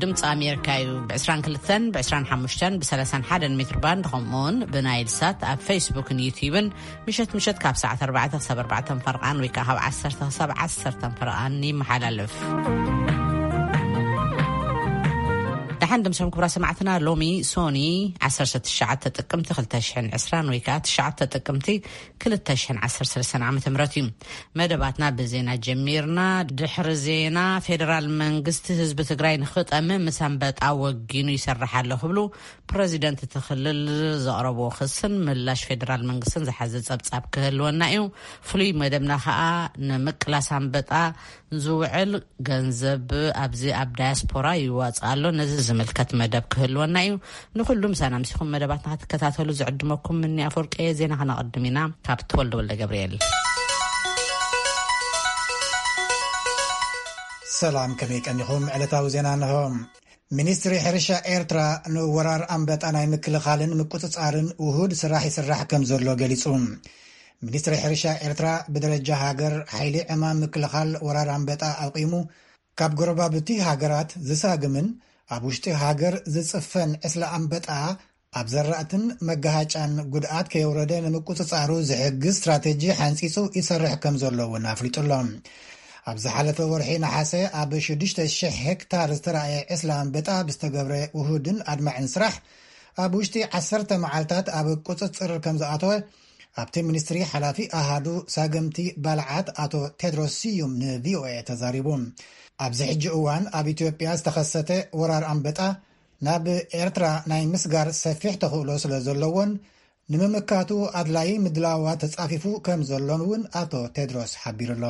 ድምፂ ኣሜሪካ እዩ። ብ22፣ ብ25፣ ብ31 ሜትር ባንድ፣ ከምኡውን ብናይል ሳት ኣብ ፌስቡክን ዩቲዩብን ምሸት ምሸት ካብ ሰዓት 4 ክሳብ 4 ፈርቓን ወይ ከዓ ካብ 10 ክሳብ 10 ፈርቓን ይመሓላለፍ። ደሓን ድምሶም ክብራ ሰማዕትና፣ ሎሚ ሶኒ 19 ጥቅምቲ 2020 ወይ ከዓ 9 ጥቅምቲ 2013 ዓ ም እዩ። መደባትና ብዜና ጀሚርና። ድሕሪ ዜና፣ ፌደራል መንግስቲ ህዝቢ ትግራይ ንክጠሚ ምስ ኣንበጣ ወጊኑ ይሰርሕ ኣሎ ክብሉ ፕረዚደንት እቲ ክልል ዘቕረብዎ ክስን ምላሽ ፌደራል መንግስትን ዝሓዘ ጸብጻብ ክህልወና እዩ። ፍሉይ መደብና ከዓ ንምቅላስ ኣንበጣ ዝውዕል ገንዘብ ኣብዚ ኣብ ዳያስፖራ ይዋጽእ ኣሎ። ነዚ ዝምልከት መደብ ክህልወና እዩ። ንኩሉ ምሳና ምሲኹም መደባትና ክትከታተሉ ዝዕድመኩም ምኒ ኣፈወርቂ እየ። ዜና ከነቐድም ኢና ካብ ተወልደ ወልደ ገብርኤል። ሰላም፣ ከመይ ቀኒኹም? ዕለታዊ ዜና እንሆ። ሚኒስትሪ ሕርሻ ኤርትራ ንወራር ኣንበጣ ናይ ምክልኻልን ምቁጽጻርን ውሁድ ስራሕ ይስራሕ ከም ዘሎ ገሊጹ። ሚኒስትሪ ሕርሻ ኤርትራ ብደረጃ ሃገር ሓይሊ ዕማም ምክልኻል ወራር ኣንበጣ ኣቂሙ፣ ካብ ጎረባብቲ ሃገራት ዝሳግምን ኣብ ውሽጢ ሃገር ዝጽፈን ዕስለ ኣንበጣ ኣብ ዘራእትን መጋሃጫን ጉድኣት ከየውረደ ንምቁጽጻሩ ዝሕግዝ ስትራተጂ ሓንጺጹ ይሰርሕ ከም ዘሎ እውን ኣፍሊጡ ኣሎ። ኣብ ዝሓለፈ ወርሒ ነሓሰ ኣብ 6,000 ሄክታር ዝተራእየ ዕስለ ኣንበጣ ብዝተገብረ ውሁድን ኣድማዕን ስራሕ ኣብ ውሽጢ 10 መዓልታት ኣብ ቁጽጽር ከም ዝኣተወ ኣብቲ ሚኒስትሪ ሓላፊ ኣሃዱ ሳገምቲ ባልዓት ኣቶ ቴድሮስ ስዩም ንቪኦኤ ተዛሪቡ። ኣብዚ ሕጂ እዋን ኣብ ኢትዮጵያ ዝተኸሰተ ወራር ኣንበጣ ናብ ኤርትራ ናይ ምስጋር ሰፊሕ ተኽእሎ ስለ ዘለዎን ንምምካቱ ኣድላይ ምድላዋት ተጻፊፉ ከም ዘሎን እውን ኣቶ ቴድሮስ ሓቢሩ ኣሎ።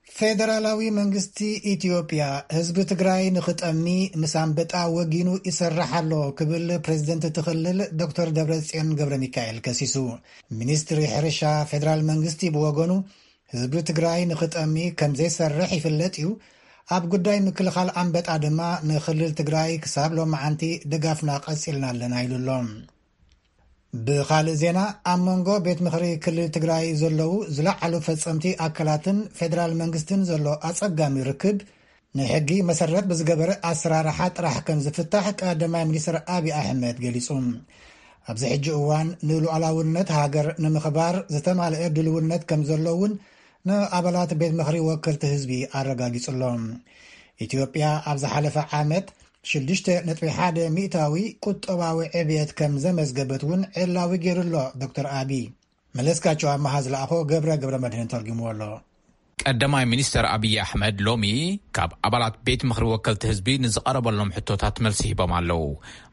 ፌደራላዊ መንግስቲ ኢትዮጵያ ህዝቢ ትግራይ ንኽጠሚ ምስ ኣንበጣ ወጊኑ ይሰርሕ ኣሎ ክብል ፕሬዝደንት እቲ ክልል ዶክተር ደብረጽዮን ገብረ ሚካኤል ከሲሱ። ሚኒስትሪ ሕርሻ ፌደራል መንግስቲ ብወገኑ ህዝቢ ትግራይ ንኽጠሚ ከም ዘይሰርሕ ይፍለጥ እዩ። ኣብ ጉዳይ ምክልኻል ኣንበጣ ድማ ንክልል ትግራይ ክሳብ ሎማዓንቲ ድጋፍና ቀጺልና ኣለና ኢሉ ኣሎ። ብኻልእ ዜና፣ ኣብ መንጎ ቤት ምኽሪ ክልል ትግራይ ዘለዉ ዝለዓሉ ፈጸምቲ ኣካላትን ፌደራል መንግስትን ዘሎ ኣጸጋሚ ርክብ ንሕጊ መሰረት ብዝገበረ ኣሰራርሓ ጥራሕ ከም ዝፍታሕ ቀዳማይ ሚኒስትር ኣብይ ኣሕመድ ገሊጹ። ኣብዚ ሕጂ እዋን ንሉዓላውነት ሃገር ንምኽባር ዝተማልአ ድልውነት ከም ዘሎ እውን ንኣባላት ቤት ምኽሪ ወከልቲ ህዝቢ ኣረጋጊጹ ኣሎ። ኢትዮጵያ ኣብ ዝሓለፈ ዓመት 6.1 ሚእታዊ ቁጠባዊ ዕብየት ከም ዘመዝገበት እውን ዕላዊ ገይሩ ኣሎ ዶክተር ኣብይ። መለስካቸው ኣመሃ ዝለኣኾ ገብረ ገብረ መድህን ተርጉምዎ ኣሎ። ቀዳማይ ሚኒስተር ኣብይ ኣሕመድ ሎሚ ካብ ኣባላት ቤት ምኽሪ ወከልቲ ህዝቢ ንዝቐረበሎም ሕቶታት መልሲ ሂቦም ኣለዉ።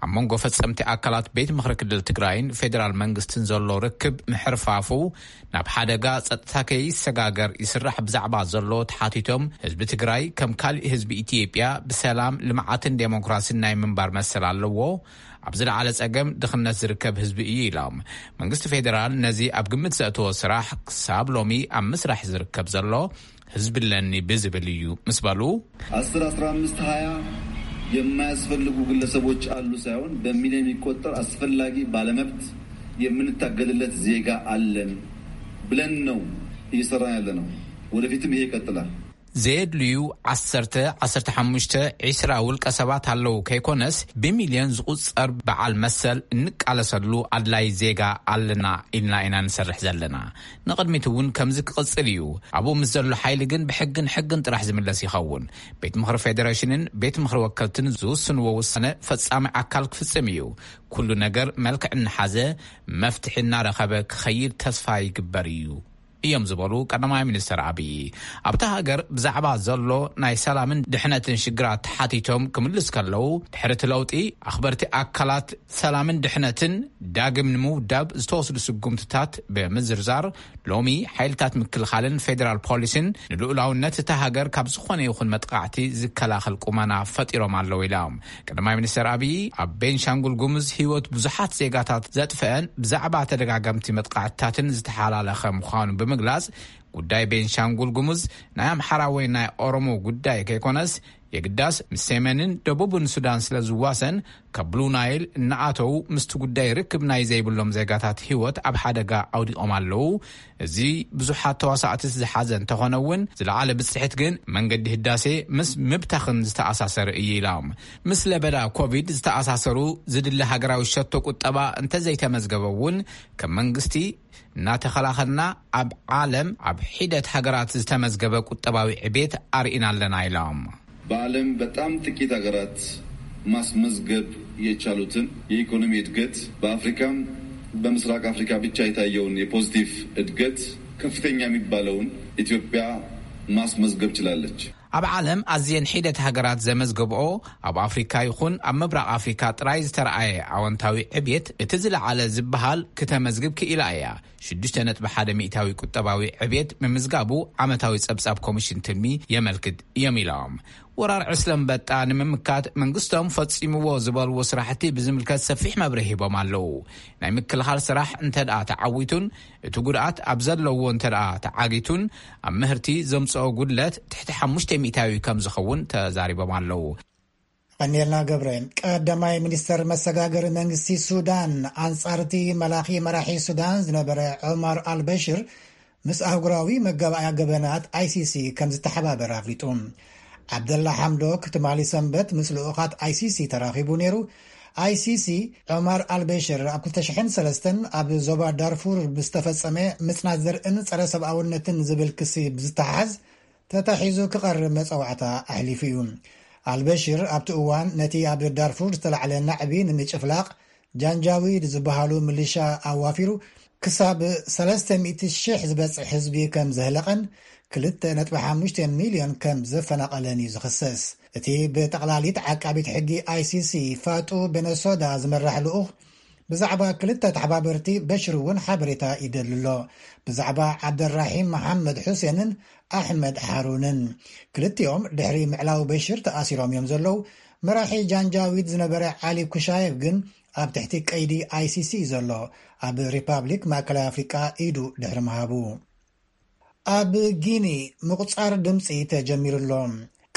ኣብ መንጎ ፈጸምቲ ኣካላት ቤት ምኽሪ ክልል ትግራይን ፌደራል መንግስትን ዘሎ ርክብ ምሕርፋፉ ናብ ሓደጋ ጸጥታ ከይሰጋገር ይስራሕ ብዛዕባ ዘሎ ተሓቲቶም፣ ህዝቢ ትግራይ ከም ካሊእ ህዝቢ ኢትዮጵያ ብሰላም፣ ልምዓትን ዴሞክራሲን ናይ ምንባር መሰል ኣለዎ። ኣብ ዝለዓለ ጸገም ድኽነት ዝርከብ ህዝቢ እዩ ኢሎም። መንግስቲ ፌደራል ነዚ ኣብ ግምት ዘእተዎ ስራሕ ክሳብ ሎሚ ኣብ ምስራሕ ዝርከብ ዘሎ ህዝቢ ኣለኒ ብዝብል እዩ ምስ በሉ፣ 10፣ 15፣ 20 የማያስፈልጉ ግለሰቦች አሉ ሳይሆን በሚሊዮን የሚቆጠር አስፈላጊ ባለመብት የምንታገልለት ዜጋ አለን ብለን ነው እየሰራን ያለ ነው። ወደፊትም ይሄ ይቀጥላል። ዘየድልዩ 10፣ 15፣ 20 ውልቀ ሰባት ኣለዉ ከይኮነስ ብሚልዮን ዝቑጸር በዓል መሰል እንቃለሰሉ ኣድላይ ዜጋ ኣለና ኢልና ኢና ንሰርሕ ዘለና። ንቕድሚት እውን ከምዚ ክቕጽል እዩ። ኣብኡ ምስ ዘሎ ሓይሊ ግን ብሕግን ሕግን ጥራሕ ዝምለስ ይኸውን። ቤት ምኽሪ ፌደሬሽንን ቤት ምኽሪ ወከልትን ዝውስንዎ ውሳነ ፈጻሚ ኣካል ክፍጽም እዩ። ኩሉ ነገር መልክዕ እናሓዘ መፍትሒ እናረኸበ ክኸይድ ተስፋ ይግበር እዩ እዮም ዝበሉ ቀዳማይ ሚኒስትር ኣብይ። ኣብታ ሃገር ብዛዕባ ዘሎ ናይ ሰላምን ድሕነትን ሽግራት ተሓቲቶም ክምልስ ከለዉ፣ ድሕሪ እቲ ለውጢ ኣኽበርቲ ኣካላት ሰላምን ድሕነትን ዳግም ንምውዳብ ዝተወስዱ ስጉምትታት ብምዝርዛር፣ ሎሚ ሓይልታት ምክልኻልን ፌደራል ፖሊስን ንልኡላውነት እታ ሃገር ካብ ዝኾነ ይኹን መጥቃዕቲ ዝከላኸል ቁመና ፈጢሮም ኣለዉ ኢሎም። ቀዳማይ ሚኒስትር ኣብይ ኣብ ቤንሻንጉል ጉሙዝ ህይወት ብዙሓት ዜጋታት ዘጥፈአን ብዛዕባ ተደጋገምቲ መጥቃዕትታትን ዝተሓላለኸ ምዃኑ ብምግላጽ፣ ጉዳይ ቤንሻንጉል ጉሙዝ ናይ ኣምሓራ ወይ ናይ ኦሮሞ ጉዳይ ከይኮነስ የግዳስ ምስ ሰሜንን ደቡብን ሱዳን ስለ ዝዋሰን፣ ካብ ብሉ ናይል እናኣተዉ ምስቲ ጉዳይ ርክብ ናይ ዘይብሎም ዜጋታት ህይወት ኣብ ሓደጋ ኣውዲቖም ኣለዉ። እዚ ብዙሓት ተዋሳእቲ ዝሓዘ እንተኾነ እውን፣ ዝለዓለ ብጽሕት ግን መንገዲ ህዳሴ ምስ ምብታኽን ዝተኣሳሰረ እዩ ኢሎም። ምስ ለበዳ ኮቪድ ዝተኣሳሰሩ ዝድለ ሃገራዊ ሸቶ ቁጠባ እንተዘይተመዝገበ እውን፣ ከም መንግስቲ እናተኸላኸልና ኣብ ዓለም ኣብ ሒደት ሃገራት ዝተመዝገበ ቁጠባዊ ዕቤት ኣርኢና ኣለና ኢሎም። በዓለም በጣም ጥቂት ሀገራት ማስመዝገብ የቻሉትን የኢኮኖሚ እድገት፣ በአፍሪካም በምስራቅ አፍሪካ ብቻ የታየውን የፖዚቲቭ እድገት ከፍተኛ የሚባለውን ኢትዮጵያ ማስመዝገብ ችላለች። ኣብ ዓለም ኣዝየን ሒደት ሃገራት ዘመዝገብኦ፣ ኣብ ኣፍሪካ ይኹን ኣብ ምብራቕ ኣፍሪካ ጥራይ ዝተረኣየ ኣወንታዊ ዕብየት፣ እቲ ዝለዓለ ዝበሃል፣ ክተመዝግብ ክኢላ እያ። ሽዱሽተ ነጥቢ ሓደ ሚእታዊ ቁጠባዊ ዕብየት ምምዝጋቡ ዓመታዊ ጸብጻብ ኮሚሽን ትልሚ የመልክት እዮም ኢሎም። ወራር ዕስለ ኣንበጣ ንምምካት መንግስቶም ፈጺምዎ ዝበልዎ ስራሕቲ ብዝምልከት ሰፊሕ መብርሂ ሂቦም ኣለዉ። ናይ ምክልኻል ስራሕ እንተ ደኣ ተዓዊቱን እቲ ጉድኣት ኣብ ዘለዎ እንተ ደኣ ተዓጊቱን፣ ኣብ ምህርቲ ዘምጽኦ ጉድለት ትሕቲ ሓሙሽተ ሚእታዊ ከም ዝኸውን ተዛሪቦም ኣለዉ። ቀኒልና ገብረ። ቀዳማይ ሚኒስተር መሰጋገሪ መንግስቲ ሱዳን፣ ኣንጻርቲ መላኺ መራሒ ሱዳን ዝነበረ ዑማር ኣልበሽር፣ ምስ ኣህጉራዊ መጋባእያ ገበናት ኣይሲሲ ከም ዝተሓባበር ኣፍሊጡ። ዓብደላ ሓምዶክ ትማሊ ሰንበት ምስ ልኡኻት ኣይሲሲ ተራኺቡ ነይሩ። ኣይሲሲ፣ ዑማር ኣልበሽር ኣብ ክልተ ሽሕን ሰለስተን ኣብ ዞባ ዳርፉር ብዝተፈጸመ ምጽናት ዘርእን ጸረ ሰብኣውነትን ዝብል ክሲ ብዝተሓዝ ተታሒዙ ክቐርብ መጸዋዕታ ኣሕሊፉ እዩ። ኣልበሽር ኣብቲ እዋን ነቲ ኣብ ዳርፉር ዝተላዕለ ናዕቢ ንምጭፍላቕ ጃንጃዊድ ዝበሃሉ ምልሻ ኣዋፊሩ ክሳብ ሰለስተ ሚእቲ ሽሕ ዝበጽሕ ህዝቢ ከም ዘህለቐን ክልተ ነጥቢ ሓሙሽተ ሚልዮን ከም ዘፈናቐለን እዩ ዝኽሰስ። እቲ ብጠቕላሊት ዓቃቢት ሕጊ ኣይሲሲ ፋጡ ቤነሶዳ ዝመራሕ ልኡኽ ብዛዕባ ክልተ ተሓባበርቲ በሽር እውን ሓበሬታ ይደሊ ኣሎ። ብዛዕባ ዓብደራሒም መሓመድ ሑሴንን ኣሕመድ ሓሩንን። ክልቲኦም ድሕሪ ምዕላው በሽር ተኣሲሮም እዮም ዘለዉ። መራሒ ጃንጃዊድ ዝነበረ ዓሊ ኩሻየቭ ግን ኣብ ትሕቲ ቀይዲ ኣይሲሲ እዩ ዘሎ፣ ኣብ ሪፓብሊክ ማእከላይ ኣፍሪቃ ኢዱ ድሕሪ ምሃቡ። ኣብ ጊኒ ምቑጻር ድምጺ ተጀሚሩ ኣሎ።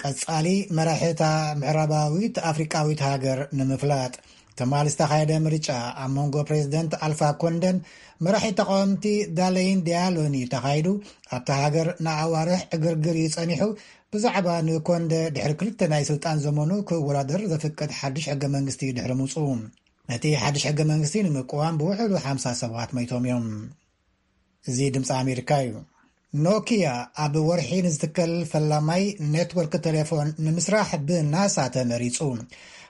ቀጻሊ መራሒ እታ ምዕራባዊት ኣፍሪቃዊት ሃገር ንምፍላጥ ትማሊ ዝተኻየደ ምርጫ ኣብ መንጎ ፕሬዚደንት ኣልፋ ኮንደን መራሒ ተቃወምቲ ዳለይን ዲያሎን እዩ ተኻይዱ። ኣብታ ሃገር ንኣዋርሕ ዕግርግር እዩ ጸኒሑ። ብዛዕባ ንኮንደ ድሕሪ ክልተ ናይ ስልጣን ዘመኑ ክወዳደር ዘፍቅድ ሓድሽ ሕገ መንግስቲ ድሕሪ ምውጽኡ፣ ነቲ ሓድሽ ሕገ መንግስቲ ንምቅዋም ብውሕዱ ሓምሳ ሰባት መይቶም እዮም። እዚ ድምፂ ኣሜሪካ እዩ። ኖኪያ ኣብ ወርሒ ንዝትከል ፈላማይ ኔትወርክ ቴሌፎን ንምስራሕ ብናሳ ተመሪፁ።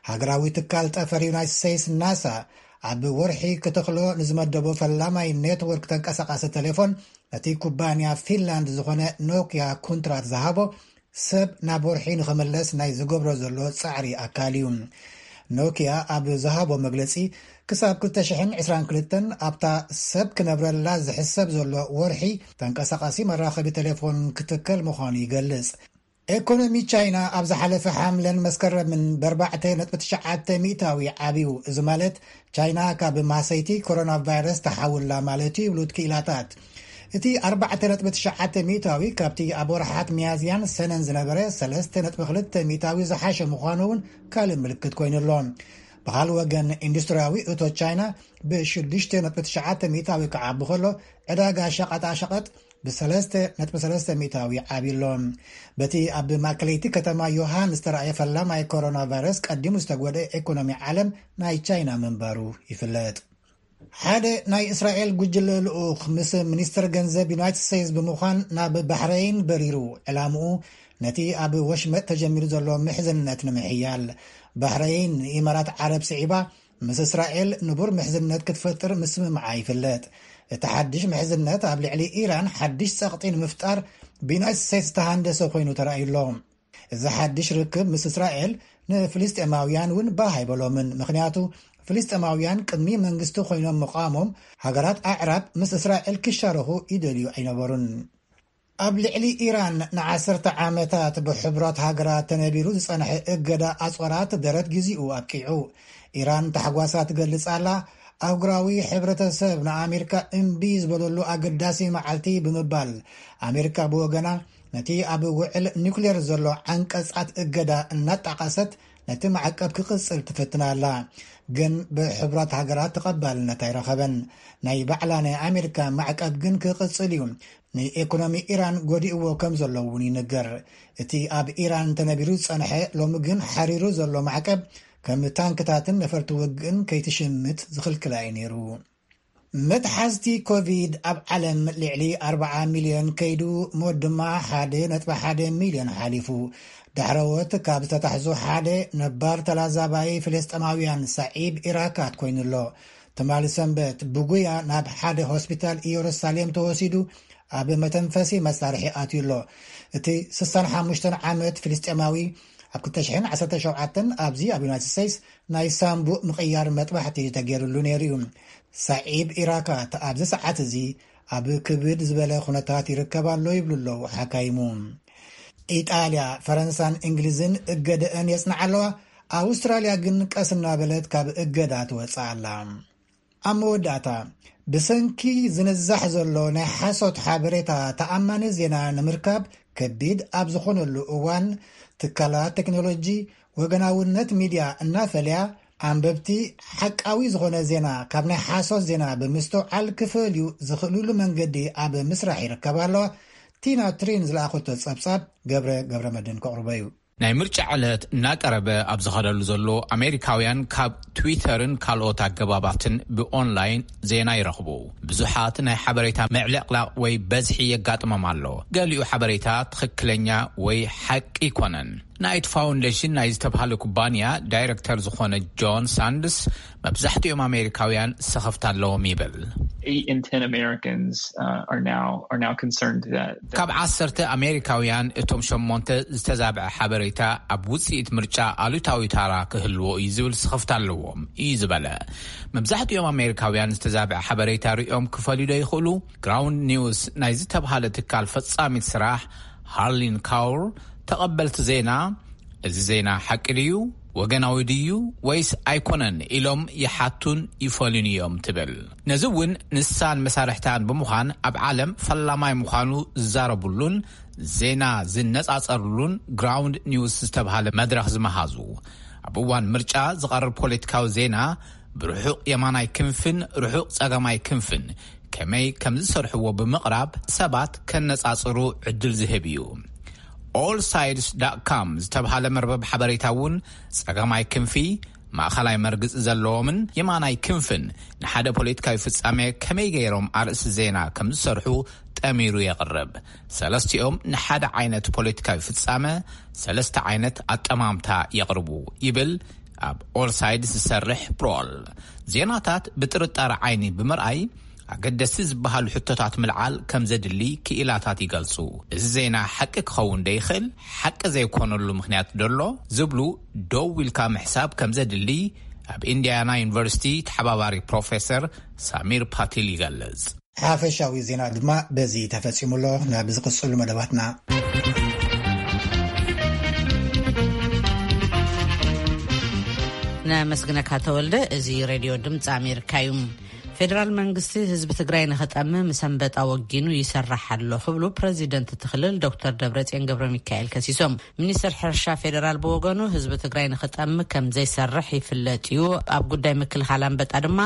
ሃገራዊ ትካል ጠፈር ዩናይትድ ስቴትስ ናሳ ኣብ ወርሒ ክትኽሎ ንዝመደቦ ፈላማይ ኔትወርክ ተንቀሳቃሲ ቴሌፎን ነቲ ኩባንያ ፊንላንድ ዝኾነ ኖኪያ ኩንትራት ዝሃቦ ሰብ ናብ ወርሒ ንኽምለስ ናይ ዝገብሮ ዘሎ ጻዕሪ ኣካል እዩ። ኖኪያ ኣብ ዝሃቦ መግለጺ፣ ክሳብ ክልተ ሽሕን ዕስራን ክልተን ኣብታ ሰብ ክነብረላ ዝሕሰብ ዘሎ ወርሒ ተንቀሳቓሲ መራኸቢ ቴሌፎን ክትከል ምዃኑ ይገልጽ። ኤኮኖሚ ቻይና ኣብ ዝሓለፈ ሓምለን መስከረምን ብኣርባዕተ ነጥቢ ትሽዓተ ሚእታዊ ዓብዩ። እዚ ማለት ቻይና ካብ ማሰይቲ ኮሮና ቫይረስ ተሓውላ ማለት እዩ ይብሉ ክኢላታት። እቲ ኣርባዕተ ነጥቢ ትሽዓተ ሚእታዊ ካብቲ ኣብ ወርሓት ሚያዝያን ሰነን ዝነበረ ሰለስተ ነጥቢ ክልተ ሚእታዊ ዝሓሸ ምዃኑ እውን ካልእ ምልክት ኮይኑ ኣሎ። ብኻልእ ወገን፣ ኢንዱስትሪያዊ እቶት ቻይና ብሽዱሽተ ነጥቢ ትሽዓተ ሚእታዊ ክዓቢ ከሎ፣ ዕዳጋ ሸቐጣ ሸቐጥ ብሰለስተ ነጥቢ ሰለስተ ሚእታዊ ዓብዩ ኣሎ። በቲ ኣብ ማእከለይቲ ከተማ ዮሃን ዝተራእየ ፈላማይ ኮሮና ቫይረስ ቀዲሙ ዝተጎድአ ኤኮኖሚ ዓለም ናይ ቻይና ምንባሩ ይፍለጥ። ሓደ ናይ እስራኤል ጉጅለ ልኡኽ ምስ ሚኒስትር ገንዘብ ዩናይትድ ስቴትስ ብምዃን ናብ ባሕረይን በሪሩ። ዕላምኡ ነቲ ኣብ ወሽመጥ ተጀሚሩ ዘሎ ምሕዝነት ንምሕያል። ባሕረይን ንኢማራት ዓረብ ስዒባ ምስ እስራኤል ንቡር ምሕዝነት ክትፈጥር ምስምምዓ ይፍለጥ። እቲ ሓድሽ ምሕዝነት ኣብ ልዕሊ ኢራን ሓድሽ ጸቕጢ ንምፍጣር ብዩናይትድ ስቴትስ ዝተሃንደሰ ኮይኑ ተራእዩ ኣሎ። እዚ ሓድሽ ርክብ ምስ እስራኤል ንፍልስጤማውያን እውን ባህ ኣይበሎምን። ምኽንያቱ ፍልስጤማውያን ቅድሚ መንግስቲ ኮይኖም ምቓሞም ሃገራት ኣዕራብ ምስ እስራኤል ክሻረኹ ይደልዩ ኣይነበሩን። ኣብ ልዕሊ ኢራን ንዓሰርተ ዓመታት ብሕቡራት ሃገራት ተነቢሩ ዝጸንሐ እገዳ ኣጽዋራት ደረት ግዚኡ ኣብቂዑ። ኢራን ታሕጓሳ ትገልጽ ኣላ። ኣህጉራዊ ሕብረተሰብ ንኣሜሪካ እምቢ ዝበለሉ ኣገዳሲ መዓልቲ ብምባል፣ ኣሜሪካ ብወገና ነቲ ኣብ ውዕል ኒውክሌር ዘሎ ዓንቀጻት እገዳ እናጣቐሰት ነቲ ማዕቀብ ክቕጽል ትፍትን ኣላ። ግን ብሕቡራት ሃገራት ተቐባልነት ኣይረኸበን። ናይ ባዕላ ናይ ኣሜሪካ ማዕቀብ ግን ክቕጽል እዩ። ንኢኮኖሚ ኢራን ጎዲእዎ ከም ዘሎ እውን ይንገር። እቲ ኣብ ኢራን ተነቢሩ ዝጸንሐ ሎሚ ግን ሓሪሩ ዘሎ ማዕቀብ ከም ታንክታትን ነፈርቲ ውግእን ከይትሽምት ዝኽልክላ እዩ ነይሩ። መትሓዝቲ ኮቪድ ኣብ ዓለም ልዕሊ ኣርባዓ ሚልዮን ከይዱ፣ ሞት ድማ ሓደ ነጥቢ ሓደ ሚልዮን ሓሊፉ። ዳሕረዎት ካብ ዝተታሕዙ ሓደ ነባር ተላዛባይ ፍልስጤማውያን ሳዒብ ኢራካት ኮይኑ ኣሎ። ትማሊ ሰንበት ብጉያ ናብ ሓደ ሆስፒታል ኢየሩሳሌም ተወሲዱ ኣብ መተንፈሲ መሳርሒ ኣትዩ ኣሎ። እቲ ስሳን ሓሙሽተን ዓመት ፍልስጤማዊ ኣብ ክልተ ሽሕን ዓሰርተ ሸውዓተን ኣብዚ ኣብ ዩናይትድ ስቴትስ ናይ ሳንቡእ ምቕያር መጥባሕቲ ተገይሩሉ ነይሩ እዩ። ሳዒብ ኢራካት ኣብዚ ሰዓት እዚ ኣብ ክብድ ዝበለ ኩነታት ይርከብ ኣሎ ይብሉ ኣለዉ ሓካይሙ። ኢጣልያ፣ ፈረንሳን እንግሊዝን እገደአን የጽንዓ ኣለዋ። ኣውስትራልያ ግን ቀስ እናበለት ካብ እገዳ ትወጽእ ኣላ። ኣብ መወዳእታ፣ ብሰንኪ ዝንዛሕ ዘሎ ናይ ሓሶት ሓበሬታ ተኣማኒ ዜና ንምርካብ ከቢድ ኣብ ዝኾነሉ እዋን፣ ትካላት ቴክኖሎጂ፣ ወገናውነት ሚድያ እናፈለያ፣ ኣንበብቲ ሓቃዊ ዝኾነ ዜና ካብ ናይ ሓሶት ዜና ብምስትውዓል ክፈልዩ ዝኽእሉሉ መንገዲ ኣብ ምስራሕ ይርከባ ኣለዋ። ቲና ትሪን ዝለኣኸቶ ጸብጻብ ገብረ ገብረ መድህን ከቕርቦ እዩ። ናይ ምርጫ ዕለት እናቀረበ ኣብ ዝኸደሉ ዘሎ፣ ኣሜሪካውያን ካብ ትዊተርን ካልኦት ኣገባባትን ብኦንላይን ዜና ይረኽቡ። ብዙሓት ናይ ሓበሬታ ምዕልቕላቕ ወይ በዝሒ የጋጥሞም ኣሎ። ገሊኡ ሓበሬታ ትኽክለኛ ወይ ሓቂ ኣይኮነን። ናይት ፋውንዴሽን ናይ ዝተብሃለ ኩባንያ ዳይረክተር ዝኾነ ጆን ሳንድስ፣ መብዛሕትኦም ኣሜሪካውያን ስኽፍታ ኣለዎም ይብል። Eight in ten Americans, uh, are now, are now concerned that, that ካብ ዓሰርተ ኣሜሪካውያን፣ እቶም ሸሞንተ ዝተዛብዐ ሓበሬታ ኣብ ውፅኢት ምርጫ ኣሉታዊ ታራ ክህልዎ እዩ ዝብል ስኽፍታ ኣለዎም እዩ ዝበለ። መብዛሕትኦም ኣሜሪካውያን ዝተዛብዐ ሓበሬታ ሪኦም ክፈልዩ ዶ ይኽእሉ? ግራውንድ ኒውስ ናይ ዝተብሃለ ትካል ፈጻሚት ስራሕ ሃርሊን ካውር፣ ተቐበልቲ ዜና፣ እዚ ዜና ሓቂ ድዩ፣ ወገናዊ ድዩ ወይስ ኣይኮነን ኢሎም ይሓቱን ይፈልዩን እዮም ትብል። ነዚ እውን ንሳን መሳርሕታን ብምዃን ኣብ ዓለም ፈላማይ ምዃኑ ዝዛረቡሉን ዜና ዝነጻጸሩሉን ግራውንድ ኒውስ ዝተብሃለ መድረኽ ዝመሃዙ፣ ኣብ እዋን ምርጫ ዝቐርብ ፖለቲካዊ ዜና ብርሑቕ የማናይ ክንፍን ርሑቕ ጸጋማይ ክንፍን ከመይ ከም ዝሰርሕዎ ብምቕራብ ሰባት ከነጻጽሩ ዕድል ዝህብ እዩ። ኦል ሳይድስ ዳት ካም ዝተብሃለ መርበብ ሓበሬታ እውን ጸጋማይ ክንፊ፣ ማእኸላይ መርግጺ ዘለዎምን የማናይ ክንፍን ንሓደ ፖለቲካዊ ፍጻሜ ከመይ ገይሮም ኣርእስቲ ዜና ከም ዝሰርሑ ጠሚሩ የቕርብ። ሰለስቲኦም ንሓደ ዓይነት ፖለቲካዊ ፍጻመ ሰለስተ ዓይነት ኣጠማምታ የቕርቡ ይብል ኣብ ኦል ሳይድስ ዝሰርሕ ብሮል። ዜናታት ብጥርጣረ ዓይኒ ብምርኣይ፣ ኣገደስቲ ዝበሃሉ ሕቶታት ምልዓል ከም ዘድሊ ክኢላታት ይገልጹ። እዚ ዜና ሓቂ ክኸውን ዶ ይኽእል? ሓቂ ዘይኮነሉ ምኽንያት ዶ ኣሎ? ዝብሉ ደው ኢልካ ምሕሳብ ከም ዘድሊ ኣብ ኢንዲያና ዩኒቨርሲቲ ተሓባባሪ ፕሮፌሰር ሳሚር ፓቲል ይገልጽ። ሓፈሻዊ ዜና ድማ በዚ ተፈጺሙ ኣሎ። ናብ ዝቕጽሉ መደባትና። ነመስግነካ ተወልደ። እዚ ሬድዮ ድምፂ ኣሜሪካ እዩ። ፌደራል መንግስቲ ህዝቢ ትግራይ ንኽጠሚ ምስ ኣንበጣ ወጊኑ ይሰርሕ ኣሎ ክብሉ ፕረዚደንት እቲ ክልል ዶክተር ደብረጽዮን ገብረ ሚካኤል ከሲሶም። ሚኒስትር ሕርሻ ፌደራል ብወገኑ ህዝቢ ትግራይ ንኽጠሚ ከም ዘይሰርሕ ይፍለጥ እዩ። ኣብ ጉዳይ ምክልኻል ኣንበጣ ድማ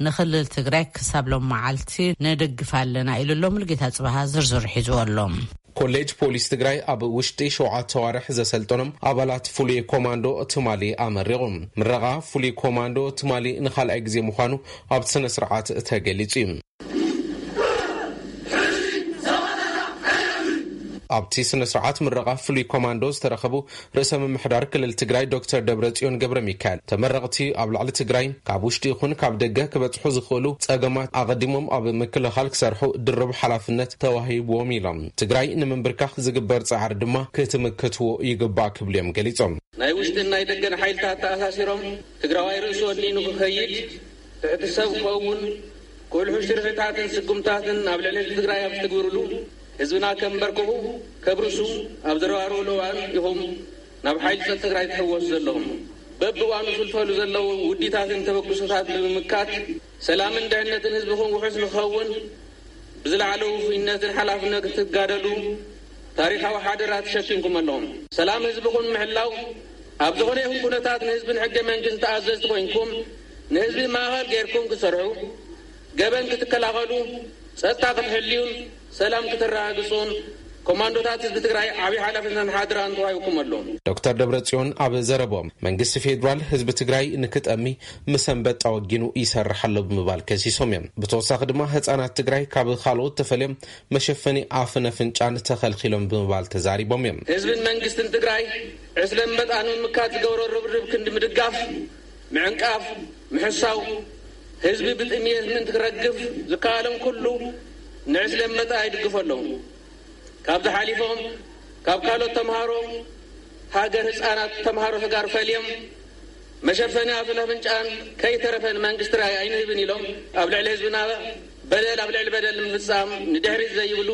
ንክልል ትግራይ ክሳብ ሎም መዓልቲ ንድግፍ ኣለና ኢሉ ኣሎ። ሙሉጌታ ጽባሃ ዝርዝሩ ሒዝዎ ኣሎ። ኮሌጅ ፖሊስ ትግራይ ኣብ ውሽጢ ሸውዓተ ኣዋርሕ ዘሰልጠኖም ኣባላት ፍሉይ ኮማንዶ ትማሊ ኣመሪቑ። ምረቓ ፍሉይ ኮማንዶ ትማሊ ንኻልኣይ ግዜ ምዃኑ ኣብቲ ስነ ስርዓት ተገሊጹ እዩ። ኣብቲ ስነ ስርዓት ምረቓ ፍሉይ ኮማንዶ ዝተረኸቡ ርእሰ ምምሕዳር ክልል ትግራይ ዶክተር ደብረጽዮን ገብረ ሚካኤል፣ ተመረቕቲ ኣብ ልዕሊ ትግራይ ካብ ውሽጢ ይኹን ካብ ደገ ክበጽሑ ዝኽእሉ ጸገማት ኣቐዲሞም ኣብ ምክልኻል ክሰርሑ ድርብ ሓላፍነት ተዋሂብዎም ኢሎም። ትግራይ ንምንብርካኽ ዝግበር ጻዕሪ ድማ ክትምክትዎ ይግባእ ክብሉ እዮም ገሊጾም። ናይ ውሽጥን ናይ ደገን ሓይልታት ተኣሳሲሮም ትግራዋይ ርእሱ ወኒኑ ክኸይድ፣ ትሕቲ ሰብ ክኸውን፣ ክውልሑ ሽርሕታትን ስጉምታትን ኣብ ልዕሊ ህዝቢ ትግራይ ኣብ ዝትግብርሉ፣ ህዝብና ከንበርክኹ፣ ከብርሱ ኣብ ዘረባርብሉ እዋን ኢኹም ናብ ሓይሊ ጸጥታ ትግራይ ትሕወሱ ዘለኹም። በብእዋኑ ዝልፈሉ ዘለዉ ውዲታትን ተበግሶታት ብምምካት፣ ሰላምን ድሕነትን ህዝብኹም ውሑስ ንክኸውን ብዝለዓለ ውፉይነትን ሓላፍነት ክትጋደሉ ታሪኻዊ ሓደራ ተሸኪምኩም ኣለኹም። ሰላም ህዝብኹም ምሕላው ኣብ ዝኾነ ይኹን ኩነታት ንህዝብን ሕገ መንግስትን ተኣዘዝቲ ኮይንኩም ንህዝቢ ማእኸል ገይርኩም ክትሰርሑ፣ ገበን ክትከላኸሉ፣ ጸጥታ ክትሕልዩን ሰላም ክትረጋግጹን ኮማንዶታት ህዝቢ ትግራይ ዓብዪ ሓላፍነትን ሓደራን ተዋሂብኩም ኣሎ። ዶክተር ደብረጽዮን ኣብ ዘረቦም መንግስቲ ፌዴራል ህዝቢ ትግራይ ንክጠሚ ምስ ኣንበጣ ወጊኑ ይሰርሕ ኣሎ ብምባል ከሲሶም እዮም። ብተወሳኺ ድማ ህፃናት ትግራይ ካብ ካልኦት ተፈልዮም መሸፈኒ ኣፍን ኣፍንጫን ተኸልኪሎም ብምባል ተዛሪቦም እዮም። ህዝብን መንግስትን ትግራይ ዕስለ ኣንበጣ ንምምካት ዝገብሮ ርብርብ ክንዲ ምድጋፍ፣ ምዕንቃፍ፣ ምሕሳው፣ ህዝቢ ብጥምየት ምእንቲ ክረግፍ ዝከኣሎም ኩሉ ንዕስለ ኣንበጣ ይድግፉ ኣለዉ። ካብዚ ሓሊፎም ካብ ካልኦት ተምሃሮ ሃገር ህፃናት ተምሃሮ ተጋሩ ፈልዮም መሸፈኒ ኣፍን ኣፍንጫን ከይተረፈ ንመንግስቲ ትግራይ ኣይንህብን ኢሎም ኣብ ልዕሊ ህዝብና በደል ኣብ ልዕሊ በደል ንምፍፃም ንድሕሪት ዘይብሉ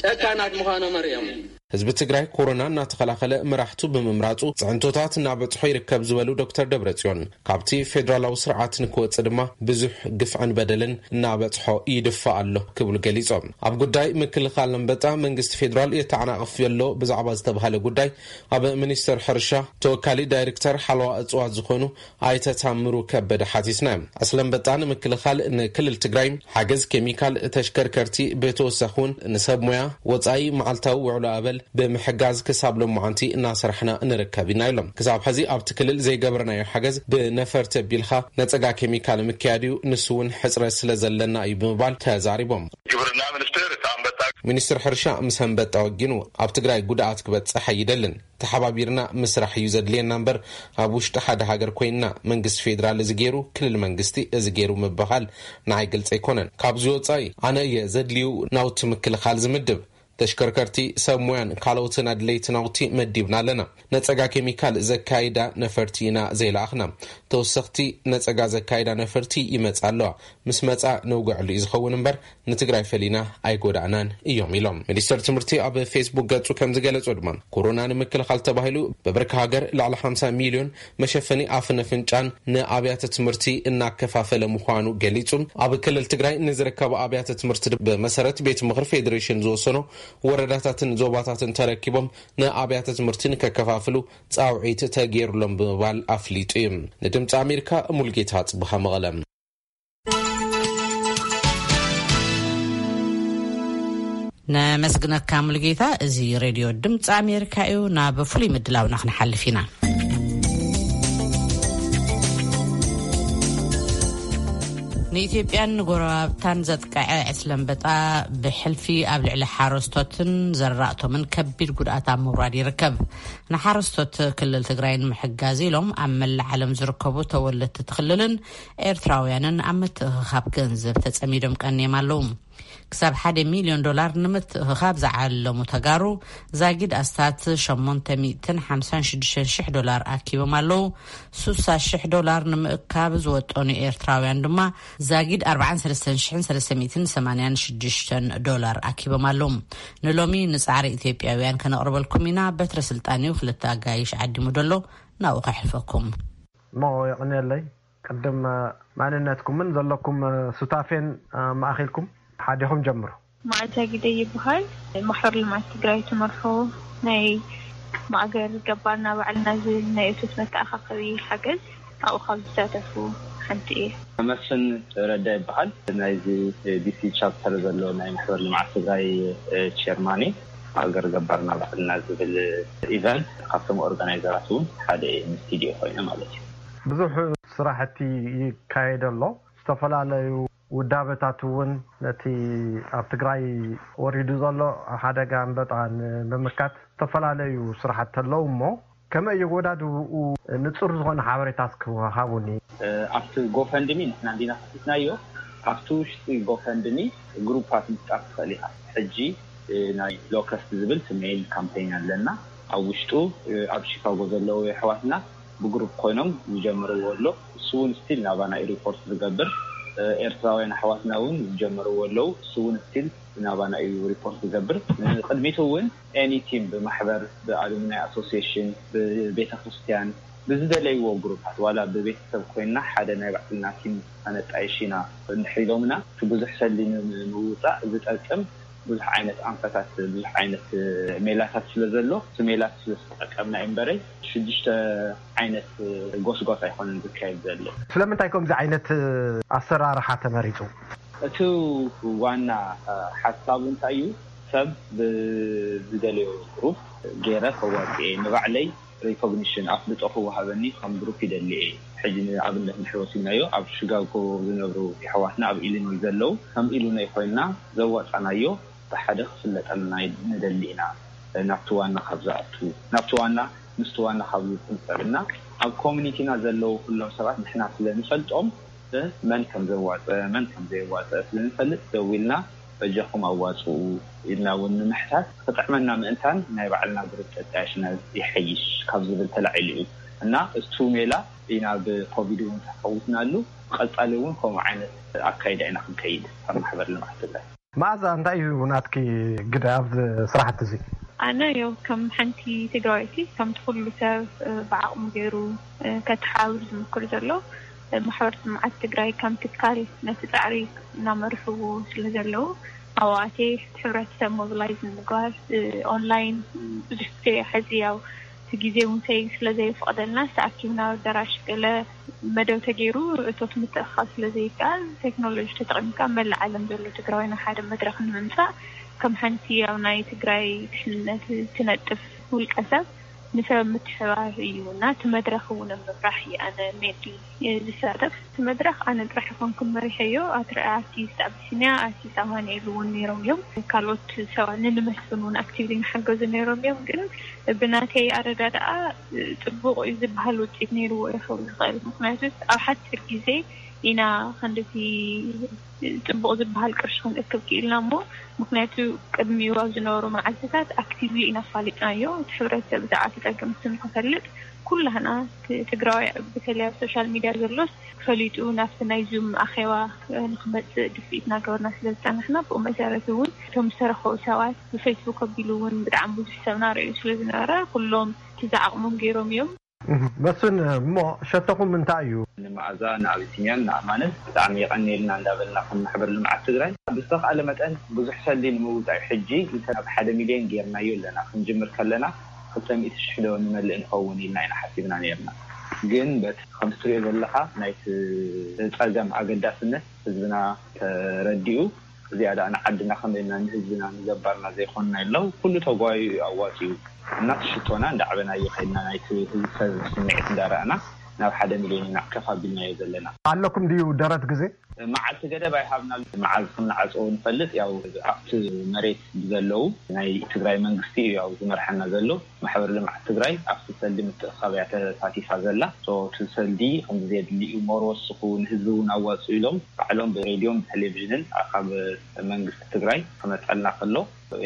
ጨካናት ምዃኖም ኣርእዮም። ህዝቢ ትግራይ ኮሮና እናተኸላኸለ መራሕቱ ብምምራፁ ፅዕንቶታት እናበፅሖ ይርከብ ዝበሉ ዶክተር ደብረፅዮን፣ ካብቲ ፌዴራላዊ ስርዓት ንክወፅእ ድማ ብዙሕ ግፍዕን በደልን እናበፅሖ ይድፋእ ኣሎ ክብሉ ገሊፆም። ኣብ ጉዳይ ምክልኻል ኣንበጣ መንግስቲ ፌዴራል የተዓናቕፍ ዘሎ ብዛዕባ ዝተባሃለ ጉዳይ ኣብ ሚኒስቴር ሕርሻ ተወካሊ ዳይሬክተር ሓለዋ እፅዋት ዝኾኑ ኣይተ ታምሩ ከበደ ሓቲትና። ዕስለ ኣንበጣ ንምክልኻል ንክልል ትግራይ ሓገዝ ኬሚካል፣ ተሽከርከርቲ፣ ብተወሳኺ እውን ንሰብ ሞያ ወፃኢ መዓልታዊ ውዕሎ ኣበል ብምሕጋዝ ክሳብ ሎማዓንቲ እናሰራሕና ንርከብ ኢና ኢሎም። ክሳብ ሕዚ ኣብቲ ክልል ዘይገበርናዮ ሓገዝ ብነፈርቲ ኣቢልካ ነፀጋ ኬሚካል ምክያድ እዩ፣ ንሱ እውን ሕፅረት ስለ ዘለና እዩ ብምባል ተዛሪቦም። ግብርና ሚኒስቴር እቲ ኣንበጣ ሚኒስትር ሕርሻ ምስ ኣንበጣ ወጊኑ ኣብ ትግራይ ጉድኣት ክበፅሕ ኣይደልን። ተሓባቢርና ምስራሕ እዩ ዘድልየና እምበር ኣብ ውሽጢ ሓደ ሃገር ኮይንና መንግስቲ ፌዴራል እዚ ገይሩ ክልል መንግስቲ እዚ ገይሩ ምብሃል ንዓይ ግልፂ ኣይኮነን። ካብዚ ወፃኢ ኣነ እየ ዘድልዩ ናውቲ ምክልኻል ዝምድብ። ተሽከርከርቲ፣ ሰብ ሞያን ካልኦትን ኣድለይቲ ናውቲ መዲብና ኣለና። ነፀጋ ኬሚካል ዘካይዳ ነፈርቲ ኢና ዘይለኣኽና። ተወሰኽቲ ነፀጋ ዘካይዳ ነፈርቲ ይመፃ ኣለዋ። ምስ መፃ ነውግዐሉ እዩ ዝኸውን እምበር ንትግራይ ፈሊና ኣይጎዳእናን እዮም ኢሎም። ሚኒስተር ትምህርቲ ኣብ ፌስቡክ ገፁ ከም ዝገለጾ ድማ ኮሮና ንምክልኻል ተባሂሉ በብርኪ ሃገር ልዕሊ ሓምሳ ሚልዮን መሸፈኒ ኣፍን ኣፍንጫን ንኣብያተ ትምህርቲ እናከፋፈለ ምዃኑ ገሊጹ። ኣብ ክልል ትግራይ ንዝርከቡ ኣብያተ ትምህርቲ ብመሰረት ቤት ምኽሪ ፌዴሬሽን ዝወሰኖ ወረዳታትን ዞባታትን ተረኪቦም ንኣብያተ ትምህርቲ ንከከፋፍሉ ጻውዒት ተገይሩሎም ብምባል ኣፍሊጡ እዩ። ንድምፂ ኣሜሪካ ሙልጌታ ጽብሃ መቐለ። ነመስግነካ ሙሉጌታ። እዚ ሬድዮ ድምፂ ኣሜሪካ እዩ። ናብ ፍሉይ ምድላውና ክንሓልፍ ኢና። ንኢትዮጵያን ንጎረባብታን ዘጥቅዐ ዕስለ ኣንበጣ ብሕልፊ ኣብ ልዕሊ ሓረስቶትን ዘራእቶምን ከቢድ ጉድኣት ኣብ ምውራድ ይርከብ። ንሓረስቶት ክልል ትግራይ ንምሕጋዝ ኢሎም ኣብ መላእ ዓለም ዝርከቡ ተወለድቲ እቲ ክልልን ኤርትራውያንን ኣብ ምትእኽኻብ ገንዘብ ተጸሚዶም ቀንዮም ኣለዉ። ክሳብ ሓደ ሚልዮን ዶላር ንምትእኽኻብ ዝዓለሙ ተጋሩ ዛጊድ ኣስታት ሸሞንተ ሚእትን ሓምሳን ሽዱሽተን ሽሕ ዶላር ኣኪቦም ኣለዉ። ሱሳ ሽሕ ዶላር ንምእካብ ዝወጠኑ ኤርትራውያን ድማ ዛጊድ ኣርባዓን ሰለስተን ሽሕን ሰለስተ ሚእትን ሰማንያን ሽዱሽተን ዶላር ኣኪቦም ኣለዉ። ንሎሚ ንጻዕሪ ኢትዮጵያውያን ከነቕርበልኩም ኢና። በትረ ስልጣን እዩ ክልተ ኣጋይሽ ዓዲሙ ደሎ፣ ናብኡ ከሕልፈኩም። እሞ የቐንየለይ። ቅድም ማንነትኩምን ዘለኩም ሱታፌን ማእኺልኩም ሓዲኹም ጀምሩ። መዓዛ ግደይ ይበሃል። ማሕበር ልምዓት ትግራይ ትመርሖ ናይ ማእገር ገባርና ባዕልና ዝብል ናይ እቶት መተኣኻኸቢ ሓገዝ ኣብኡ ካብ ዝሳተፉ ሓንቲ እየ። መስፍን ረዳ ይበሃል። ናይዚ ዲሲ ቻፕተር ዘሎ ናይ ማሕበር ልምዓት ትግራይ ቸርማን እየ። ማእገር ገባርና ባዕልና ዝብል ኢቨንት ካብቶም ኦርጋናይዘራት እውን ሓደ እየ፣ ምስ ቲዲኦ ኮይነ ማለት እዩ። ብዙሕ ስራሕቲ ይካየድ ኣሎ። ዝተፈላለዩ ውዳበታት እውን ነቲ ኣብ ትግራይ ወሪዱ ዘሎ ሓደጋ ኣንበጣ ንምምካት ዝተፈላለዩ ስራሕቲ ኣለዉ እሞ ከመይ የወዳድብኡ ንጹር ዝኾነ ሓበሬታ እስኪ ሃቡኒ። ኣብቲ ጎፈንድሚ ንሕና እንዲና ከፊትናዮ። ኣብቲ ውሽጢ ጎፈንድሚ ግሩፓት ምፍጣር ትኽእል ኢኻ። ሕጂ ናይ ሎከስት ዝብል ሜይል ካምፔን ኣለና። ኣብ ውሽጡ ኣብ ሺካጎ ዘለዉ የሕዋትና ብግሩፕ ኮይኖም ዝጀመርዎ ኣሎ። እሱ እውን ስቲል ናባና እዩ ሪፖርት ዝገብር። ኤርትራውያን ኣሕዋትና እውን ዝጀመርዎ ኣለዉ። እሱ እውን ስቲል ናባና እዩ ሪፖርት ዝገብር። ንቅድሚቱ እውን ኤኒ ቲም ብማሕበር፣ ብኣሉምናይ ኣሶሲሽን፣ ብቤተ ክርስቲያን፣ ብዝደለይዎ ግሩፓት ዋላ ብቤተሰብ ኮይንና ሓደ ናይ ባዕልና ቲም ኣነጣይሽ ኢና እንድሕር ኢሎምና እቲ ብዙሕ ሰሊ ንምውፃእ ዝጠቅም ብዙሕ ዓይነት ኣንፈታት፣ ብዙሕ ዓይነት ሜላታት ስለ ዘሎ፣ እቲ ሜላት ስለ ዝተጠቀምና እምበረይ ሽዱሽተ ዓይነት ጎስጓስ ኣይኮነን ዝካየድ ዘሎ። ስለምንታይ ከምዚ ዓይነት ኣሰራርሓ ተመሪፁ? እቲ ዋና ሓሳቡ እንታይ እዩ? ሰብ ብዝደለዮ ግሩፕ ገይረ ከዋፅኤ፣ ንባዕለይ ሪኮግኒሽን ኣፍልጦ ክወሃበኒ ከም ግሩፕ ይደሊ እየ። ሕጂ ንኣብነት ንሕወሲናዮ ኣብ ሽጋጎ ዝነብሩ የሕዋትና ኣብ ኢሊኖይ ዘለዉ ከም ኢሉነይ ኮይንና ዘዋፃናዮ ብሓደ ክፍለጠልና ንደሊ ኢና። ናብቲ ዋና ካብ ዝኣቱ ናብቲ ዋና ምስቲ ዋና ካብ ዝፅንፀልና ኣብ ኮሚኒቲና ዘለዉ ኩሎም ሰባት ንሕና ስለ ንፈልጦም መን ከም ዘዋፀ መን ከም ዘየዋፀ ስለ ንፈልጥ ደዊልና በጃኹም ኣዋፅኡ ኢልና እውን ንምሕታት ክጥዕመና ምእንታን ናይ ባዕልና ግሩፕ ተጣያሽና ይሐይሽ ካብ ዝብል ተላዒሉ እዩ እና እቱ ሜላ ኢና ብኮቪድ እውን ተፈውስናሉ። ቀፃሊ እውን ከምኡ ዓይነት ኣካይዳ ኢና ክንከይድ ኣብ ማሕበር ልምዓት ትግራይ። መኣዛ እንታይ እዩ ናትኪ ግደ ኣብዚ ስራሕቲ እዚ? ኣነ ዮ ከም ሓንቲ ትግራወይቲ ከምቲ ኩሉ ሰብ ብዓቕሙ ገይሩ ከተሓባብር ዝምክር ዘሎ ማሕበር ልምዓት ትግራይ ከም ትካል ነቲ ፃዕሪ እናመርሕዎ ስለ ዘለዉ ኣብኣቴ ሕብረተሰብ ሞቢላይዝ ንምግባር ኦንላይን ብዙሕ ግዜ ሕዚ ያው እቲ ግዜ እውን ሰይ ስለ ዘይፍቀደልና ተኣኪብና ኣዳራሽ ገለ መደብ ተገይሩ እቶት ምትእኻብ ስለ ዘይከኣል ቴክኖሎጂ ተጠቂምካ መላእ ዓለም ዘሎ ትግራዋይ ናብ ሓደ መድረክ ንምምፃእ ከም ሓንቲ ኣብ ናይ ትግራይ ድሕንነት ትነጥፍ ውልቀ ሰብ ንሰብ ምትሕባር እዩ እና እቲ መድረክ እውን ኣብ ምምራሕ እየ ኣነ ሜንሊ ዝሳተፍ። እቲ መድረክ ኣነ ጥራሕ ኣይኮንኩን መሪሐዮ፣ ኣትርኣያ ኣርቲስት ኣቢሲንያ፣ ኣርቲስት ኣማኑኤል እውን ነይሮም እዮም። ካልኦት ሰባት ንንመስፍን እውን ኣክቲቭሊ ንሓገዙ ነይሮም እዮም። ግን ብናተይ ኣረዳድኣ ፅቡቕ እዩ ዝበሃል ውፅኢት ነይርዎ ይኸውን ይኽእል። ምክንያቱ ኣብ ሓፂር ግዜ ኢና ክንድቲ ፅቡቕ ዝበሃል ቅርሺ ክንእክብ ክኢልና እሞ ምክንያቱ ቅድሚኡ ኣብ ዝነበሩ መዓልትታት ኣክቲቭሊ ኢና ኣፋሊጥናዮ። እቲ ሕብረተሰብ ብዛዕባ እቲ ፀገም እሱ ንክፈልጥ ኩላህና ትግራዋይ ብተለይ ኣብ ሶሻል ሚድያ ዘሎስ ፈሊጡ ናብቲ ናይ ዙም ኣኼባ ንክመፅእ ድፍኢት እናገበርና ስለ ዝፀናሕና ብኡ መሰረት እውን እቶም ዝተረኸቡ ሰባት ብፌስቡክ ኣቢሉ እውን ብጣዕሚ ብዙሕ ሰብ ናረዩ ስለ ዝነበረ ኩሎም እቲ ዝዓቕሞም ገይሮም እዮም። መስፍን እሞ ሸቶኹም እንታይ እዩ? ንመኣዛ ንኣቢሲንያን ንኣማንን ብጣዕሚ የቐንየልና እንዳበልና ከም ማሕበር ልምዓት ትግራይ ብዝተኽኣለ መጠን ብዙሕ ሰልዲ ንምውፃእ ሕጂ እንተ ናብ ሓደ ሚልዮን ጌርናዮ ኣለና። ክንጅምር ከለና ክልተ ሚእቲ ሽሕ ዶ ንመልእ ንኸውን ኢልና ኢና ሓሲብና ነይርና። ግን በቲ ከምቲ ትሪኦ ዘለኻ ናይቲ ፀገም ኣገዳስነት ህዝብና ተረዲኡ እዚኣ ደኣ ንዓድና ከመይ ኢልና ንህዝብና ንገባርና ዘይኮንና የለው ኩሉ ተጓዩ እዩ ኣዋፂኡ እና እቲ ሽቶና እንዳዕበናዮ ከይድና ናይቲ ህዝቢ ሰብ ስምዒት እንዳረኣና ናብ ሓደ ሚልዮን ኢና ከፍ ኣቢልናዮ ዘለና። ኣለኩም ድዩ ደረት ግዜ? መዓልቲ ገደብ ኣይሃብና። መዓዝ ከም ንዓፅዎ ንፈልጥ ያው ኣብቲ መሬት ብዘለዉ ናይ ትግራይ መንግስቲ እዩ ያው ዝመርሐና ዘሎ። ማሕበር ልምዓት ትግራይ ኣብቲ ሰልዲ ምትእኻብ እያ ተሳቲፋ ዘላ። እቲ ሰልዲ ከምዚ ዘድሊ እዩ ሞር ወስኹ ንህዝቢ እውን ኣዋፅኡ ኢሎም ባዕሎም ብሬድዮን ብቴሌቪዥንን ካብ መንግስቲ ትግራይ ክመፀልና ከሎ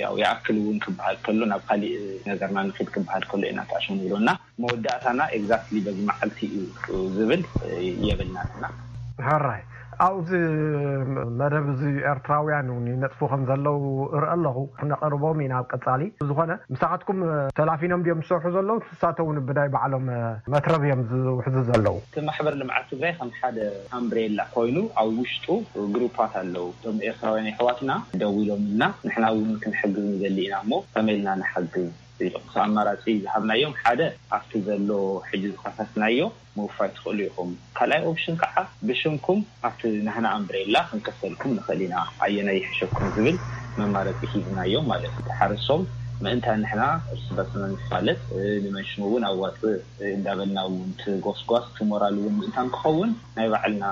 ያው ይኣክል እውን ክበሃል ከሎ ናብ ካሊእ ነገርና ንኺድ ክበሃል ከሎ ኢና ተኣሸሙ ዝብሎና። መወዳእታና ኤግዛክትሊ በዚ መዓልቲ እዩ ዝብል የብልናን እና ሕራይ ኣብዚ መደብ እዚ ኤርትራውያን እውን ይነጥፉ ከም ዘለዉ እርኢ ኣለኹ። ክነቕርቦም ኢና ኣብ ቀጻሊ። ዝኾነ ምሳኻትኩም ተላፊኖም ድዮም ዝሰርሑ ዘለዉ? ንሳቶም እውን ብናይ ባዕሎም መትረብ እዮም ዝውሕዙ ዘለዉ። እቲ ማሕበር ልምዓት ትግራይ ከም ሓደ ኣምብሬላ ኮይኑ ኣብ ውሽጡ ግሩፓት ኣለዉ። እቶም ኤርትራውያን የሕዋትና ደዊሎምልና ንሕና እውን ክንሕግዝ ንደሊ ኢና እሞ ከመይ ኢልና ንሓግዝ? ክልተ ኣማራፂ ዝሃብናዮም ሓደ ኣብቲ ዘሎ ሕጂ ዝኸፈትናዮ ምውፋይ ትኽእሉ ኢኹም። ካልኣይ ኦፕሽን ከዓ ብሽምኩም ኣብቲ ናህና ኣምብሬላ ክንከሰልኩም ንኽእል ኢና፣ ኣየናይ ይሕሸኩም ዝብል መማረፂ ሂብናዮም ማለት እዩ። ሓረሶም ምእንታ ንሕና እርስ በርስና ንፋለጥ ንመን ሽሙ እውን ኣዋፅእ እንዳበልና እውን እቲ ጎስጓስ እቲ ሞራል እውን ምእንታ ንክኸውን ናይ ባዕልና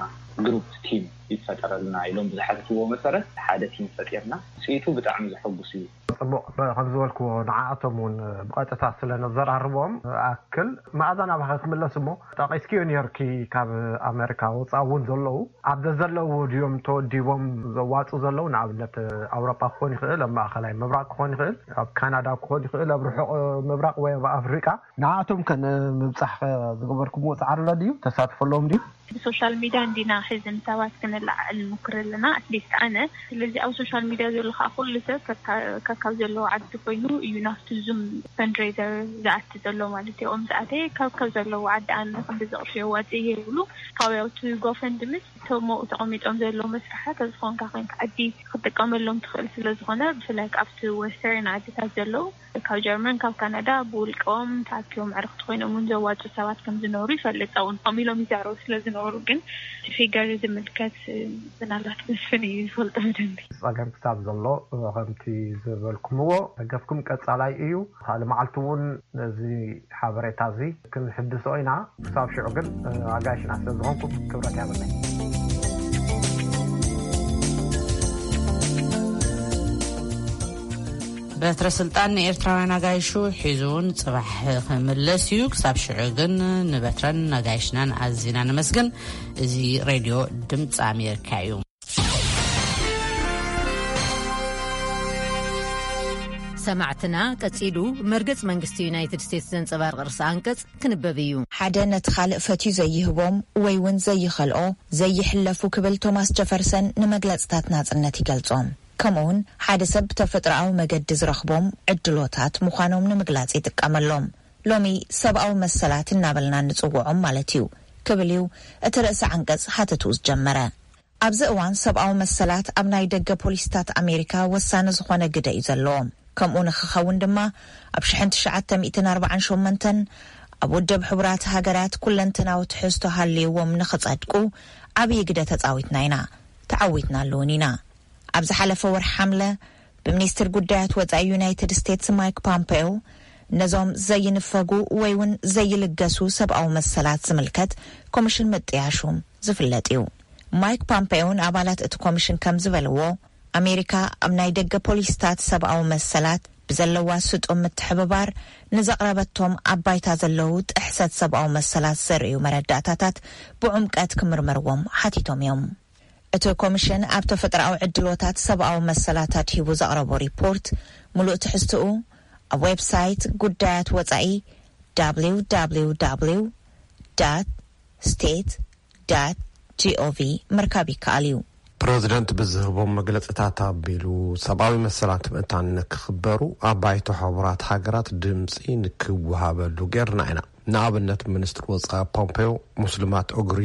ግሩፕ ቲም ይፈጠረልና ኢሎም ብዝሓተትዎ መሰረት ሓደ ቲም ፈጢርና። ውፅኢቱ ብጣዕሚ ዘሐጉስ እዩ። ፅቡቕ። ከም ዝበልክዎ ንዓኣቶም እውን ብቐጥታ ስለ ነዘራርቦም ኣክል መኣዛ ናባኺ ክምለስ እሞ ጠቒስክዮ ነይርኪ ካብ ኣመሪካ ወፃእ እውን ዘለዉ ኣብ ዘዘለዎ ድዮም ተወዲቦም ዘዋፅኡ ዘለዉ ንኣብነት ኣውሮጳ ክኾን ይኽእል ኣብ ማእኸላይ ምብራቕ ክኾን ይኽእል ኣብ ካናዳ ክኾን ይኽእል ኣብ ርሑቕ ምብራቕ ወይ ኣብ ኣፍሪቃ ንዓኣቶም ከ ንምብፃሕ ዝገበርኩምዎ ፃዕሪ ኣሎ ድዩ ተሳትፎ ኣለዎም ድዩ? ብሶሻል ሚድያ እንዲና ሕዚ ንሰባት ክነለዓዕል ንሞክር ኣለና፣ ኣትሊስት ኣነ። ስለዚ ኣብ ሶሻል ሚድያ ዘሎ ከዓ ኩሉ ሰብ ከካ- ከካብ ዘለዎ ዓዲ ኮይኑ እዩ ናብቲ ዙም ፈንድሬዘር ዝኣቲ ዘሎ ማለት እዩ። ኦም ዝኣተየ ካብ ካብ ዘለዎ ዓዲ ኣነ ክንዲ ዝቕርሽ የዋፅእ እየ ይብሉ። ካብ ያውቲ ጎፈንድምስ ተሞ ተቐሚጦም ዘለዉ መስርሓት ኣብ ዝኾንካ ኮንካ ዓዲ ክትጥቀመሎም ትኽእል ስለ ዝኾነ፣ ብፍላይ ኣብቲ ወስተርን ዓድታት ዘለዉ ካብ ጀርመን ካብ ካናዳ ብውልቀኦም ተኣኪቦም ዕርክቲ ኮይኖም እውን ዘዋፁ ሰባት ከም ዝነበሩ ይፈልጥ። እውን ከም ኢሎም ይዛረቡ ስለ ዝነበሩ ግን እቲ ፊገር ዝምልከት ምናልባት መስፍን እዩ ዝፈልጦ ብደንቢ። ጸገም ክሳብ ዘሎ ከምቲ ዝበልኩምዎ ደገፍኩም ቀጻላይ እዩ። ካልእ መዓልቲ እውን ነዚ ሓበሬታ እዚ ክንሕድሶ ኢና። ክሳብ ሽዑ ግን ኣጋይሽና ስለ ዝኾንኩም ክብረት ያብለይ። በትረ ስልጣን ንኤርትራውያን ኣጋይሹ ሒዙ እውን ጽባሕ ክምለስ እዩ። ክሳብ ሽዑ ግን ንበትረን ኣጋይሽናን ኣዚና ነመስግን። እዚ ሬድዮ ድምፂ ኣሜሪካ እዩ። ሰማዕትና፣ ቀጺሉ መርገጽ መንግስቲ ዩናይትድ ስቴትስ ዘንጸባርቕ ርእሲ ኣንቀጽ ክንበብ እዩ። ሓደ ነቲ ካልእ ፈትዩ ዘይህቦም ወይ እውን ዘይኸልኦ ዘይሕለፉ ክብል ቶማስ ጀፈርሰን ንመግለጽታት ናጽነት ይገልጾም። ከምኡውን ሓደ ሰብ ብተፈጥሮኣዊ መገዲ ዝረኽቦም ዕድሎታት ምዃኖም ንምግላጽ ይጥቀመሎም። ሎሚ ሰብኣዊ መሰላት እናበልና እንጽውዖም ማለት እዩ ክብል እዩ እቲ ርእሲ ዓንቀጽ ሓተትኡ ዝጀመረ። ኣብዚ እዋን ሰብኣዊ መሰላት ኣብ ናይ ደገ ፖሊሲታት ኣሜሪካ ወሳኒ ዝኾነ ግደ እዩ ዘለዎም። ከምኡ ንክኸውን ድማ ኣብ ሽሕን ትሽዓተ ሚእትን ኣርባዓን ሸሞንተን ኣብ ውድብ ሕቡራት ሃገራት ኩለንትናዊ ትሕዝቶ ሃልይዎም ንክጸድቁ ዓብዪ ግደ ተጻዊትና ኢና፣ ተዓዊትናሉ እውን ኢና። ኣብ ዝሓለፈ ወርሒ ሓምለ ብሚኒስትር ጉዳያት ወጻኢ ዩናይትድ ስቴትስ ማይክ ፖምፔዮ ነዞም ዘይንፈጉ ወይ እውን ዘይልገሱ ሰብኣዊ መሰላት ዝምልከት ኮሚሽን ምጥያሹ ዝፍለጥ እዩ። ማይክ ፖምፔዮ ንኣባላት እቲ ኮሚሽን ከም ዝበልዎ፣ ኣሜሪካ ኣብ ናይ ደገ ፖሊሲታት ሰብኣዊ መሰላት ብዘለዋ ስጡም ምትሕብባር ንዘቕረበቶም ኣብ ባይታ ዘለዉ ጥሕሰት ሰብኣዊ መሰላት ዘርእዩ መረዳእታታት ብዕምቀት ክምርመርዎም ሓቲቶም እዮም። እቲ ኮሚሽን ኣብ ተፈጥሮኣዊ ዕድሎታት ሰብኣዊ መሰላት ኣድሂቡ ዘቕረቦ ሪፖርት፣ ምሉእ ትሕዝትኡ ኣብ ዌብሳይት ጉዳያት ወጻኢ www state gov ምርካብ ይከኣል እዩ። ፕረዚደንት ብዝህቦም መግለጽታት ኣቢሉ፣ ሰብኣዊ መሰላት ምእንታን ንክኽበሩ ኣብ ባይቶ ሕቡራት ሃገራት ድምጺ ንክወሃበሉ ጌርና ኢና። ንኣብነት፣ ሚኒስትር ወጻኢ ፖምፔዮ፣ ሙስሊማት ኡግሪ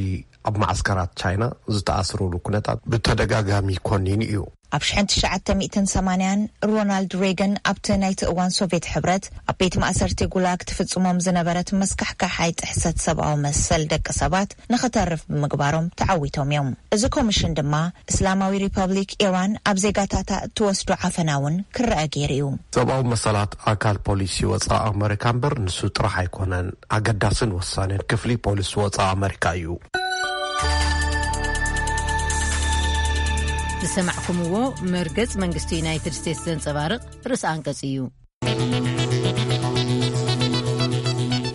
ኣብ ማዕስከራት ቻይና ዝተኣስሩሉ ኩነታት ብተደጋጋሚ ኮኒኑ እዩ። ኣብ ሽሕን ትሽዓተ ሚእትን ሰማንያን ሮናልድ ሬገን ኣብቲ ናይቲ እዋን ሶቪየት ሕብረት ኣብ ቤት ማእሰርቲ ጉላግ ትፍጽሞም ዝነበረት መስካሕካሓይ ጥሕሰት ሰብኣዊ መሰል ደቂ ሰባት ንኽተርፍ ብምግባሮም ተዓዊቶም እዮም። እዚ ኮሚሽን ድማ እስላማዊ ሪፐብሊክ ኢራን ኣብ ዜጋታታ እትወስዶ ዓፈና እውን ክረአ ገይሩ እዩ። ሰብኣዊ መሰላት ኣካል ፖሊሲ ወጻኢ ኣመሪካ እምበር ንሱ ጥራሕ ኣይኮነን። ኣገዳስን ወሳንን ክፍሊ ፖሊሲ ወጻኢ ኣመሪካ እዩ። ዝሰማዕኩምዎ መርገጽ መንግስቲ ዩናይትድ ስቴትስ ዘንጸባርቕ ርእሲ ኣንቀጽ እዩ።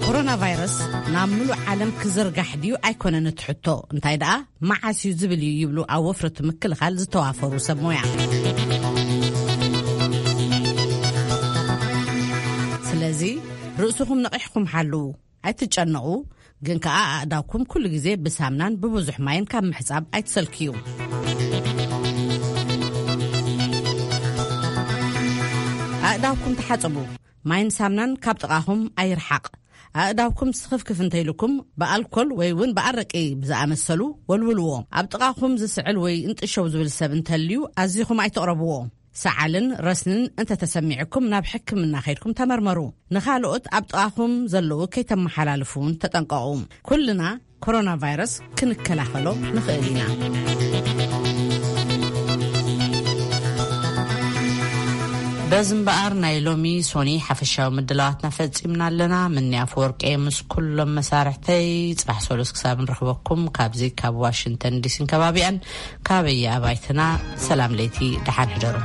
ኮሮና ቫይረስ ናብ ምሉእ ዓለም ክዝርጋሕ ድዩ ኣይኮነን እቲ ሕቶ፣ እንታይ ደኣ መዓስ እዩ ዝብል እዩ ይብሉ ኣብ ወፍሪ እቲ ምክልኻል ዝተዋፈሩ ሰብ ሞያ። ስለዚ ርእስኹም ነቒሕኩም ሓልዉ። ኣይትጨነቑ፣ ግን ከኣ ኣእዳውኩም ኩሉ ግዜ ብሳምናን ብብዙሕ ማይን ካብ ምሕጻብ ኣይትሰልክዩ። ኣእዳውኩም ተሓጸቡ። ማይን ሳምናን ካብ ጥቓኹም ኣይርሓቕ። ኣእዳውኩም ስኽፍክፍ እንተኢሉኩም ብኣልኮል ወይ እውን ብኣረቂ ብዝኣመሰሉ ወልውልዎ። ኣብ ጥቓኹም ዝስዕል ወይ እንጥሸው ዝብል ሰብ እንተልዩ ኣዚኹም ኣይትቕረብዎ። ሰዓልን ረስንን እንተተሰሚዕኩም ናብ ሕክምና ከይድኩም ተመርመሩ። ንኻልኦት ኣብ ጥቓኹም ዘለዉ ከይተመሓላልፉ እውን ተጠንቀቑ። ኩልና ኮሮና ቫይረስ ክንከላኸሎ ንኽእል ኢና። በዚ እምበኣር ናይ ሎሚ ሶኒ ሓፈሻዊ ምድላዋትና ፈጺምና ኣለና። ምኒ ኣፈወርቂ ምስ ኩሎም መሳርሕተይ ጽባሕ ሰሉስ ክሳብ ንረኽበኩም ካብዚ ካብ ዋሽንግተን ዲሲን ከባቢኣን ካበየ ኣባይትና ሰላም ለይቲ ደሓን ሕደሩ።